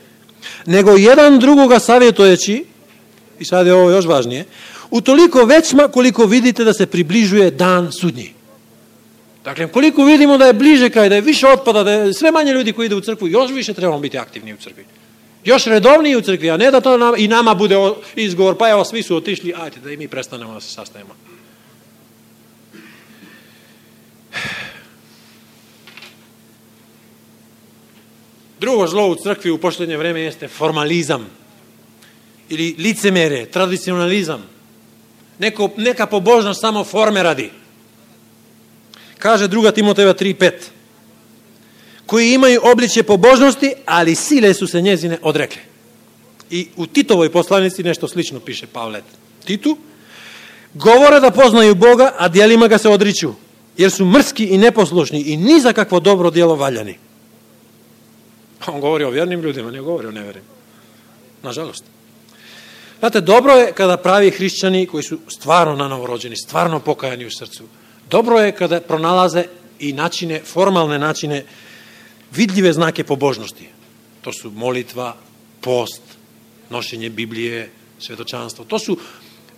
nego jedan drugoga savjetujući, i sad je ovo još važnije, utoliko većma koliko vidite da se približuje dan sudnji. Dakle, koliko vidimo da je bliže kraj, da je više otpada, da je sve manje ljudi koji ide u crkvu, još više trebamo biti aktivni u crkvi. Još redovniji u crkvi, a ne da to nama, i nama bude izgovor, pa evo, svi su otišli, ajde da i mi prestanemo da se sastajemo. Drugo zlo u crkvi u posljednje vrijeme jeste formalizam ili licemere, tradicionalizam. Neko, neka pobožnost samo forme radi. Kaže druga Timotejeva tri pet. Koji imaju obličje pobožnosti, ali sile su se njezine odrekle. I u Titovoj poslanici nešto slično piše Pavle Titu. Govore da poznaju Boga, a djelima ga se odriču, jer su mrski i neposlušni i ni za kakvo dobro djelo valjani. On govori o vjernim ljudima, ne govori o nevjernim. Nažalost. Znate, dobro je kada pravi hrišćani koji su stvarno nanovorođeni, stvarno pokajani u srcu, dobro je kada pronalaze i načine, formalne načine, vidljive znake pobožnosti. To su molitva, post, nošenje Biblije, svjedočanstvo. To su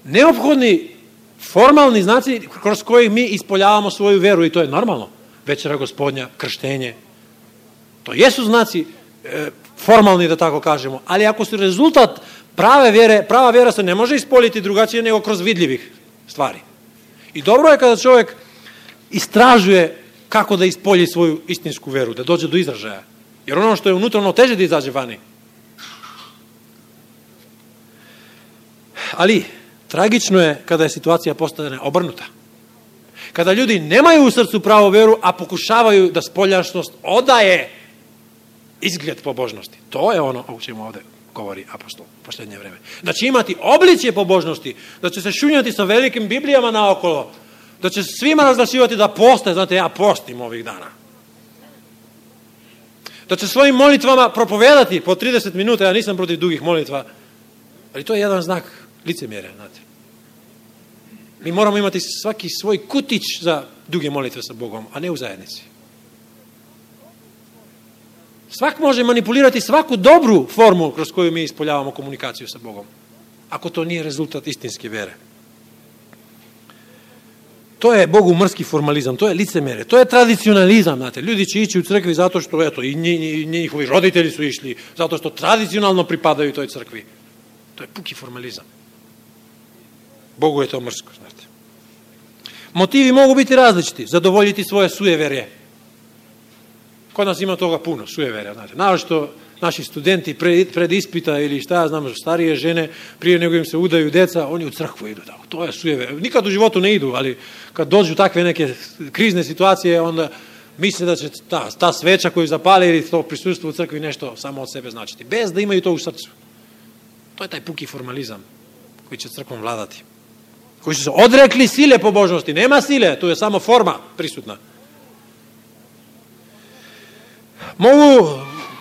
neophodni formalni znaci kroz kojih mi ispoljavamo svoju veru i to je normalno. Večera Gospodnja, krštenje. To jesu znaci e, formalni, da tako kažemo, ali ako su rezultat prave vjere, prava vjera se ne može ispoljiti drugačije nego kroz vidljivih stvari. I dobro je kada čovjek istražuje kako da ispolji svoju istinsku veru, da dođe do izražaja. Jer ono što je unutarno teže da izađe vani. Ali tragično je kada je situacija postane obrnuta. Kada ljudi nemaju u srcu pravu veru, a pokušavaju da spoljašnost odaje izgled pobožnosti. To je ono o čemu ovdje govori apostol u posljednje vreme. Da će imati obličje pobožnosti, da će se šunjati sa velikim Biblijama naokolo, da će svima razglasivati da poste, znate, ja postim ovih dana. Da će svojim molitvama propovedati po trideset minuta, ja nisam protiv dugih molitva, ali to je jedan znak licemjerja, znate. Mi moramo imati svaki svoj kutić za duge molitve sa Bogom, a ne u zajednici. Svak može manipulirati svaku dobru formu kroz koju mi ispoljavamo komunikaciju sa Bogom, ako to nije rezultat istinske vjere. To je Bogu mrski formalizam, to je licemjerje, to je tradicionalizam, znate. Ljudi će ići u crkvi zato što, eto, i njihovi roditelji su išli, zato što tradicionalno pripadaju toj crkvi. To je puki formalizam. Bogu je to mrsko, znate. Motivi mogu biti različiti, zadovoljiti svoje sujeverje. Kod nas ima toga puno, sujeverja, znate. Naročito naši studenti pred, pred ispita ili šta ja znam, starije žene, prije nego im se udaju deca, oni u crkvu idu. Tako. To je sujeverje. Nikad u životu ne idu, ali kad dođu takve neke krizne situacije, onda misle da će ta, ta sveča koju zapale ili to prisustvo u crkvi nešto samo od sebe značiti. Bez da imaju to u srcu. To je taj puki formalizam koji će crkvom vladati. Koji su se odrekli sile pobožnosti. Nema sile, tu je samo forma prisutna. Mogu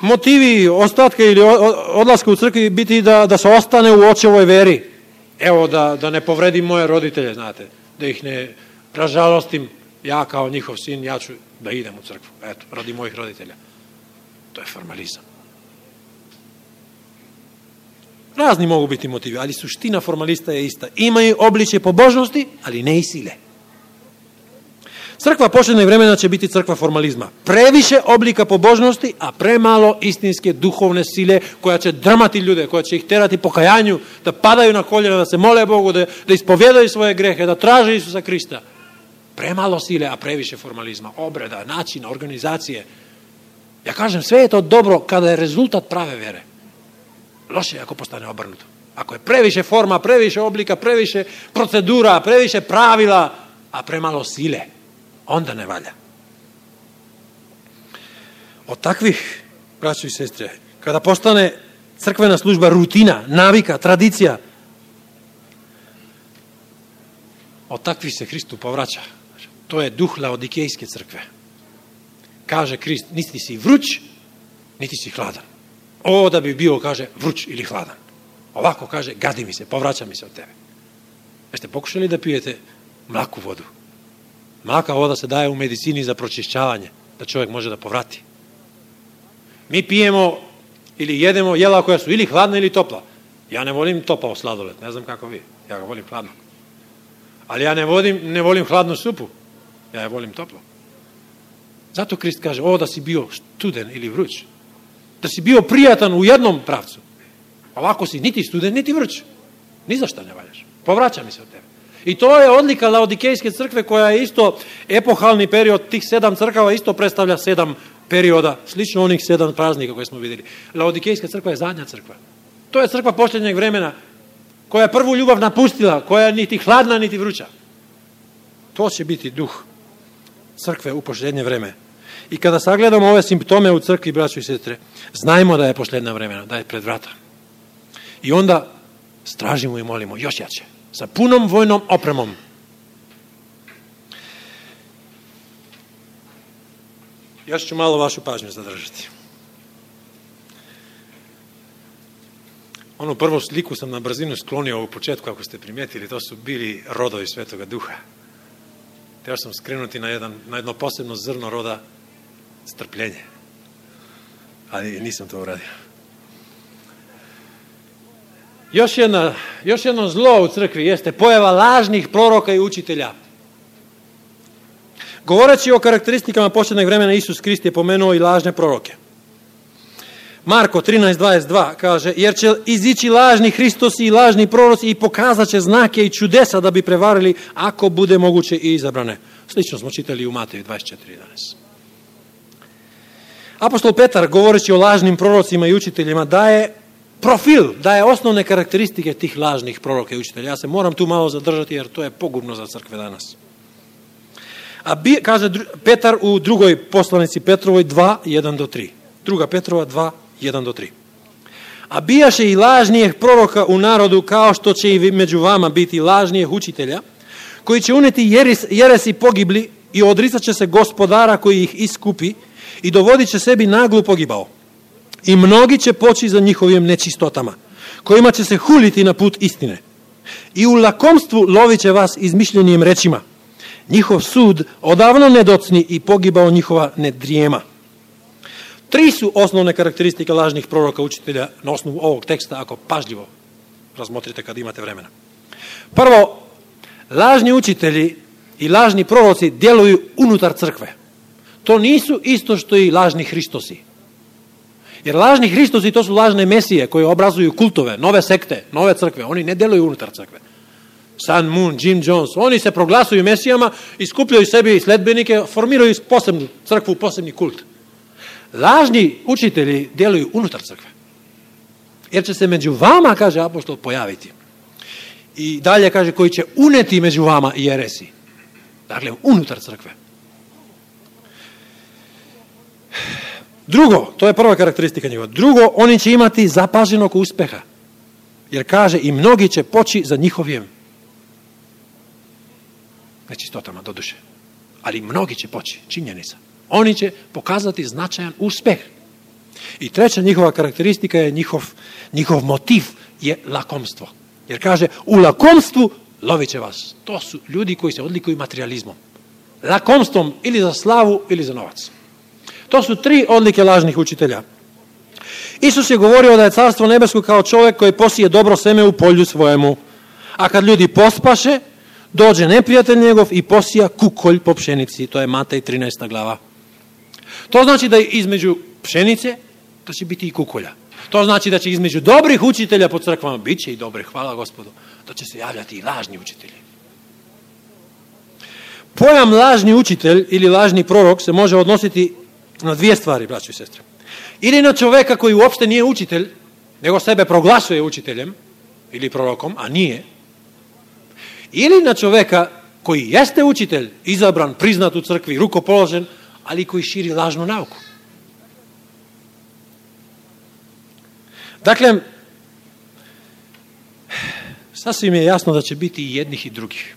motivi ostatka ili odlaska u crkvi biti da, da se ostane u očevoj veri. Evo, da, da ne povredim moje roditelje, znate. Da ih ne ražalostim. Ja kao njihov sin, ja ću da idem u crkvu. Eto, radi mojih roditelja. To je formalizam. Razni mogu biti motivi, ali suština formalista je ista. Imaju obličje pobožnosti, ali ne i sile. Crkva posljednjeg vremena će biti crkva formalizma. Previše oblika pobožnosti, a premalo istinske duhovne sile koja će drmati ljude, koja će ih terati pokajanju, da padaju na koljena, da se mole Bogu, da, da ispovjedaju svoje grehe, da traže Isusa Krista. Premalo sile, a previše formalizma, obreda, načina, organizacije. Ja kažem, sve je to dobro kada je rezultat prave vere. Loše je ako postane obrnuto. Ako je previše forma, previše oblika, previše procedura, previše pravila, a premalo sile, onda ne valja. Od takvih, braćo i sestre, kada postane crkvena služba rutina, navika, tradicija, od takvih se Hristu povraća. To je duh Laodikejske crkve. Kaže Krist, niti si vruć, niti si hladan. O, da bi bio, kaže, vruć ili hladan. Ovako kaže, gadi mi se, povraća mi se od tebe. Jeste pokušali da pijete mlaku vodu? Mlaka voda se daje u medicini za pročišćavanje, da čovjek može da povrati. Mi pijemo ili jedemo jela koja su ili hladna ili topla. Ja ne volim topao sladoled, ne znam kako vi, ja ga volim hladno. Ali ja ne volim, ne volim hladnu supu, ja je volim toplo. Zato Krist kaže, o, da si bio studen ili vruć. Da si bio prijatan u jednom pravcu. Ovako si niti studen, niti vruć. Ni za šta ne valjaš. Povraća mi se od tebe. I to je odlika Laodikejske crkve koja je isto epohalni period, tih sedam crkava isto predstavlja sedam perioda, slično onih sedam praznika koje smo vidjeli. Laodikejska crkva je zadnja crkva. To je crkva posljednjeg vremena koja je prvu ljubav napustila, koja je niti hladna, niti vruća. To će biti duh crkve u posljednje vreme. I kada sagledamo ove simptome u crkvi, braćo i sestre, znajmo da je posljednja vremena, da je pred vrata. I onda stražimo i molimo još jače, sa punom vojnom opremom. Još ću malo vašu pažnju zadržati. Onu prvu sliku sam na brzinu sklonio u početku, ako ste primijetili, to su bili rodovi Svetoga Duha. Htio sam skrenuti na, jedan, na jedno posebno zrno roda strpljenje. Ali nisam to uradio. Još, jedna, još jedno zlo u crkvi jeste pojava lažnih proroka i učitelja. Govoreći o karakteristikama posljednjeg vremena, Isus Krist je pomenuo i lažne proroke. Marko trinaest dvadeset dva kaže, jer će izići lažni Hristosi i lažni proroci i pokazat će znake i čudesa da bi prevarili, ako bude moguće i izabrane. Slično smo čitali u Mateju dvadeset četiri jedanaest. Apostol Petar, govoreći o lažnim prorocima i učiteljima, daje profil, daje osnovne karakteristike tih lažnih proroka i učitelja. Ja se moram tu malo zadržati jer to je pogubno za crkve danas. A bi, kaže Petar u drugoj poslanici Petrovoj dva, jedan do tri. Druga Petrova dva, jedan do tri. A bijaše i lažnijih proroka u narodu, kao što će i među vama biti lažnijih učitelja, koji će uneti jeres, jeresi pogibli i odricat će se gospodara koji ih iskupi i dovodit će sebi naglu pogibao. I mnogi će poći za njihovim nečistotama, kojima će se huliti na put istine. I u lakomstvu lovit će vas izmišljenim rečima. Njihov sud odavno ne docni i pogibao njihova ne drijema. Tri su osnovne karakteristike lažnih proroka učitelja na osnovu ovog teksta, ako pažljivo razmotrite kad imate vremena. Prvo, lažni učitelji i lažni proroci djeluju unutar crkve. To nisu isto što i lažni Hristosi. Jer lažni Hristosi to su lažne mesije koje obrazuju kultove, nove sekte, nove crkve. Oni ne djeluju unutar crkve. Sun Moon, Jim Jones, oni se proglasuju mesijama i skupljaju sebi sledbenike, formiraju posebnu crkvu, posebni kult. Lažni učitelji djeluju unutar crkve. Jer će se među vama, kaže apostol, pojaviti. I dalje kaže, koji će uneti među vama jeresi. Dakle, unutar crkve. Drugo, to je prva karakteristika njegova. Drugo, oni će imati zapaženog uspeha. Jer kaže, i mnogi će poći za njihovim nečistotama, doduše. Ali mnogi će poći, činjenica. Oni će pokazati značajan uspeh. I treća njihova karakteristika je njihov, njihov motiv je lakomstvo. Jer kaže, u lakomstvu lovit će vas. To su ljudi koji se odlikuju materializmom. Lakomstvom ili za slavu ili za novac. To su tri odlike lažnih učitelja. Isus je govorio da je carstvo nebesko kao čovjek koji posije dobro seme u polju svojemu. A kad ljudi pospaše, dođe neprijatelj njegov i posija kukolj po pšenici. To je Matej trinaesta glava. To znači da između pšenice da će biti i kukolja. To znači da će između dobrih učitelja po crkvama, bit će i dobrih, hvala Gospodu, da će se javljati i lažni učitelji. Pojam lažni učitelj ili lažni prorok se može odnositi na dvije stvari, braćo i sestre. Ili na čoveka koji uopšte nije učitelj, nego sebe proglasuje učiteljem ili prorokom, a nije. Ili na čoveka koji jeste učitelj, izabran, priznat u crkvi, rukopoložen, ali koji širi lažnu nauku. Dakle, sasvim je jasno da će biti i jednih i drugih.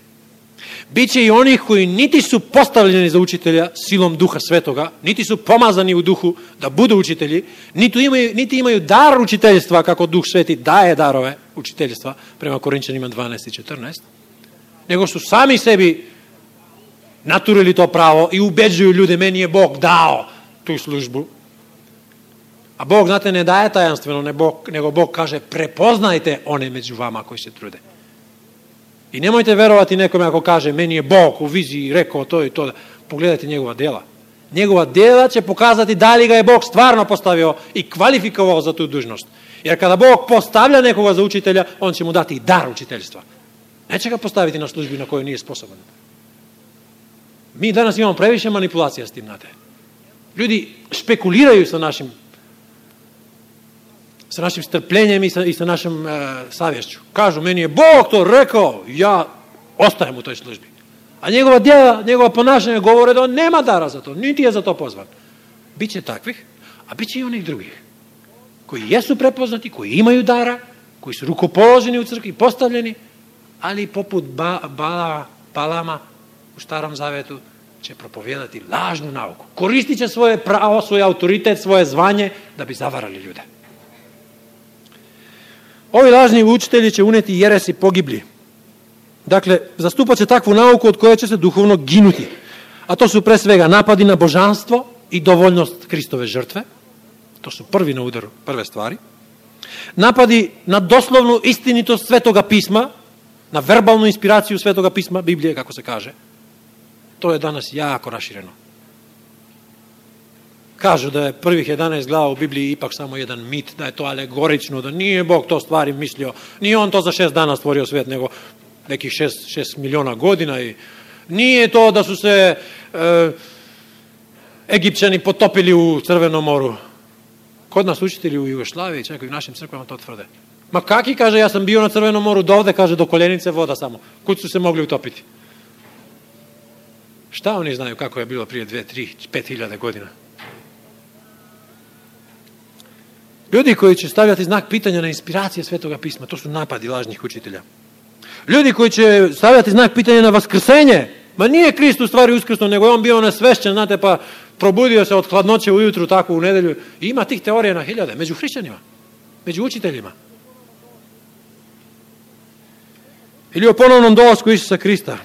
Biće i onih koji niti su postavljeni za učitelja silom Duha Svetoga, niti su pomazani u duhu da budu učitelji, niti imaju, niti imaju dar učiteljstva kako Duh Sveti daje darove učiteljstva prema Korinčanima dvanaest i četrnaest, nego su sami sebi naturili to pravo i ubeđuju ljude, meni je Bog dao tu službu. A Bog, znate, ne daje tajanstveno, ne Bog, nego Bog kaže, prepoznajte one među vama koji se trude. I nemojte verovati nekome ako kaže, meni je Bog u viziji rekao to i to. Pogledajte njegova djela. Njegova djela će pokazati da li ga je Bog stvarno postavio i kvalifikovao za tu dužnost. Jer kada Bog postavlja nekoga za učitelja, on će mu dati i dar učiteljstva. Neće ga postaviti na službi na kojoj nije sposoban. Mi danas imamo previše manipulacija s tim, znate. Ljudi špekuliraju sa našim sa našim strpljenjem i sa, i sa našom e, savješću. Kažu, meni je Bog to rekao, ja ostajem u toj službi. A njegova djela, njegova ponašanja govore da on nema dara za to, niti je za to pozvan. Biće takvih, a biće i onih drugih, koji jesu prepoznati, koji imaju dara, koji su rukopoloženi u crkvi, postavljeni, ali poput ba, bala, Balama u Starom Zavetu će propovijedati lažnu nauku. Koristit će svoje pravo, svoj autoritet, svoje zvanje da bi zavarali ljude. Ovi lažni učitelji će uneti jeresi pogibli. Dakle, zastupat će takvu nauku od koje će se duhovno ginuti. A to su pre svega napadi na božanstvo i dovoljnost Kristove žrtve. To su prvi na udaru, prve stvari. Напади на дословну истинитост Светога писма, на вербалну инспирацију Светога писма, Библија, како се каже. Тоа е данас јако раширено. Кажу да е првих еданаесет глава у Библија ипак само еден мит, да е тоа алегорично, да nije Бог то ствари мислио, nije он то за шест дана створио свет, него неких шест, шест милиона година и nije то да су се е, египчани потопили у Црвено мору. Код нас учители у Југославија, чак и в нашим црквама тоа тврде. Ма каки, каже, јас сам био на Црвено мору, довде, каже, до коленице вода само. Куд су се могли утопити? Šta oni znaju kako je bilo prije dve, tri, pet hiljade godina? Ljudi koji će stavljati znak pitanja na inspiracije Svetoga pisma, to su napadi lažnih učitelja. Ljudi koji će stavljati znak pitanja na vaskrsenje, ma nije Krist u stvari uskrsnuo, nego je on bio nesvešćen, znate, pa probudio se od hladnoće ujutru, tako u nedelju. I ima tih teorija na hiljade, među hrišćanima, među učiteljima. Ili o ponovnom dolasku Isusa Krista.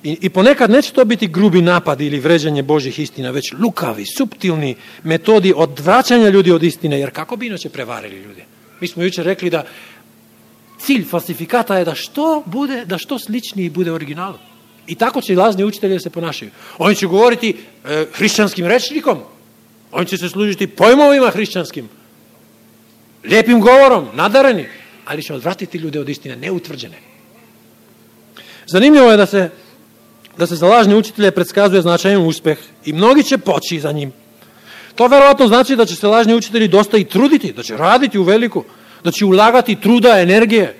I, I ponekad neće to biti grubi napad ili vređanje Božih istina, već lukavi, suptilni metodi odvraćanja ljudi od istine, jer kako bi inače prevarili ljudi? Mi smo jučer rekli da cilj falsifikata je da što bude, da što sličniji bude originalu. I tako će i lažni učitelji da se ponašaju. Oni će govoriti e, hrišćanskim rečnikom, oni će se služiti pojmovima hrišćanskim, lijepim govorom, nadareni, ali će odvratiti ljude od istine, neutvrđene. Zanimljivo je da se da se za lažne učitelje predskazuje značajan uspeh i mnogi će poći za njim. To verovatno znači da će se lažni učitelji dosta i truditi, da će raditi u veliku, da će ulagati truda, energije,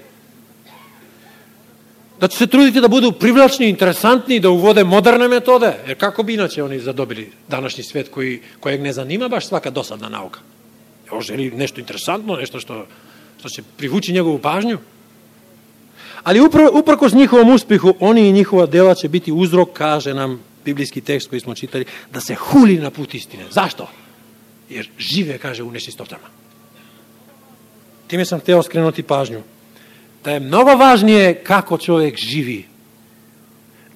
da će se truditi da budu privlačni, interesantni, da uvode moderne metode, jer kako bi inače oni zadobili današnji svet koji, kojeg ne zanima baš svaka dosadna nauka. On želi nešto interesantno, nešto što, što će privući njegovu pažnju. Ali uprkos njihovom uspjehu, oni i njihova dela će biti uzrok, kaže nam biblijski tekst koji smo čitali, da se huli na put istine. Zašto? Jer žive, kaže, u nečistotama. Time sam hteo skrenuti pažnju. Da je mnogo važnije kako čovjek živi.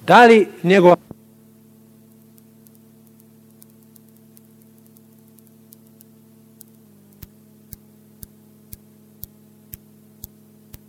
Da li njegova